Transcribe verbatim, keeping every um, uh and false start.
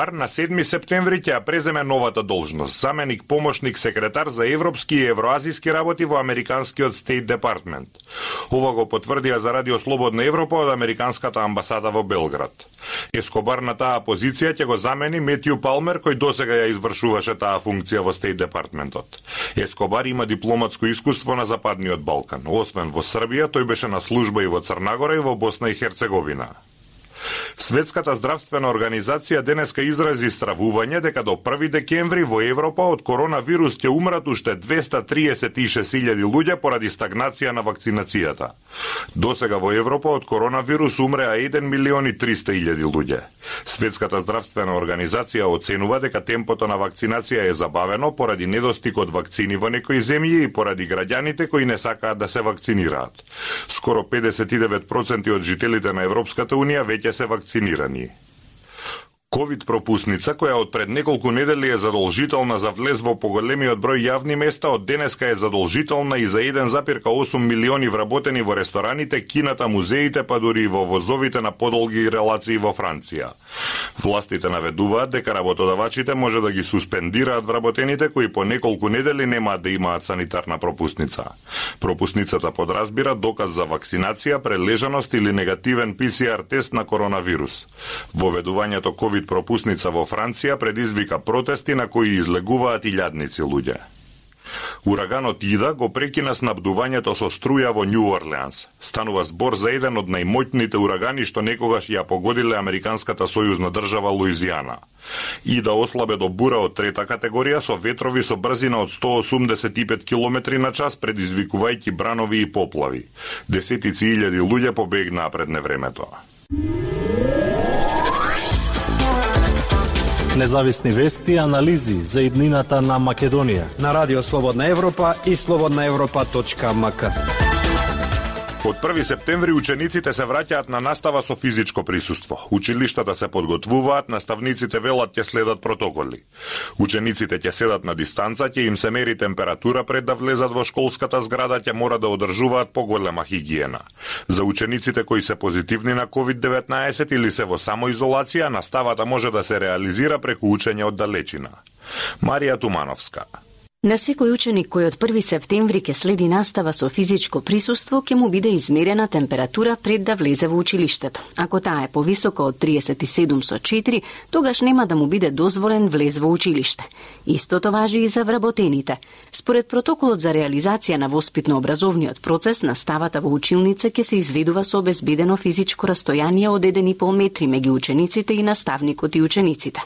На седми септември ќе ја преземе новата должност, заменик помошник секретар за европски и евроазиски работи во американскиот State Department. Ова го потврдија за Радио Слободна Европа од американската амбасада во Белград. Ескобар на таа позиција ќе го замени Метју Палмер, кој досега ја извршуваше таа функција во State Departmentот. Ескобар има дипломатско искуство на Западниот Балкан. Освен во Србија, тој беше на служба и во Црнагора и во Босна и Херцеговина. Светската здравствена организација денеска изрази стравување дека до први декември во Европа од коронавирус ќе умрат уште двеста триесет и шест илјади луѓе поради стагнација на вакцинацијата. Досега во Европа од коронавирус умреа еден милион и триста илјади луѓе. Светската здравствена организација оценува дека темпото на вакцинација е забавено поради недостиг од вакцини во некои земји и поради граѓаните кои не сакаат да се вакцинираат. Скоро педесет и девет проценти од жителите на Европската унија веќе се вакцинирани. Ковид пропусница, која од пред неколку недели е задолжителна за влез во поголемиот број јавни места, од денеска е задолжителна и за еден запир осум милиони вработени во рестораните, кината, музеите, па дури и во возовите на подолги релации во Франција. Властите наведуваат дека работодавачите може да ги суспендираат вработените кои по неколку недели немаат да имаат санитарна пропусница. Пропусницата подразбира доказ за вакцинација, прележаност или негативен Пи Си Ар тест на коронавирус. Воведувањето ковид пропусница во Франција предизвика протести на кои излегуваат илјадници луѓе. Ураганот Ида го прекина снабдувањето со струја во Њу Орлеанс. Станува збор за еден од најмоќните урагани што некогаш ја погодиле американската сојузна држава Луизијана. Ида ослабе до бура од трета категорија со ветрови со брзина од сто осумдесет и пет километри на час, предизвикувајќи бранови и поплави. Десетици илјади луѓе побегнаа пред невремето. Независни вести и анализи за иднината на Македонија на Радио Слободна Европа и слободна европа точка ем ка. Од први септември учениците се враќаат на настава со физичко присуство. Училиштата се подготвуваат, наставниците велат ќе следат протоколи. Учениците ќе седат на дистанца, ќе им се мери температура пред да влезат во школската зграда, ќе мора да одржуваат поголема хигиена. За учениците кои се позитивни на ковид деветнаесет или се во самоизолација, наставата може да се реализира преку учење од далечина. Марија Тумановска. На секој ученик кој од први септември ќе следи настава со физичко присуство, ќе му биде измерена температура пред да влезе во училиштето. Ако таа е повисока од триесет и седум со четири, тогаш нема да му биде дозволен влез во училиште. Истото важи и за вработените. Според протоколот за реализација на воспитно-образовниот процес, наставата во училница ќе се изведува со обезбедено физичко растојание од еден и пол метри меѓу учениците и наставникот и учениците.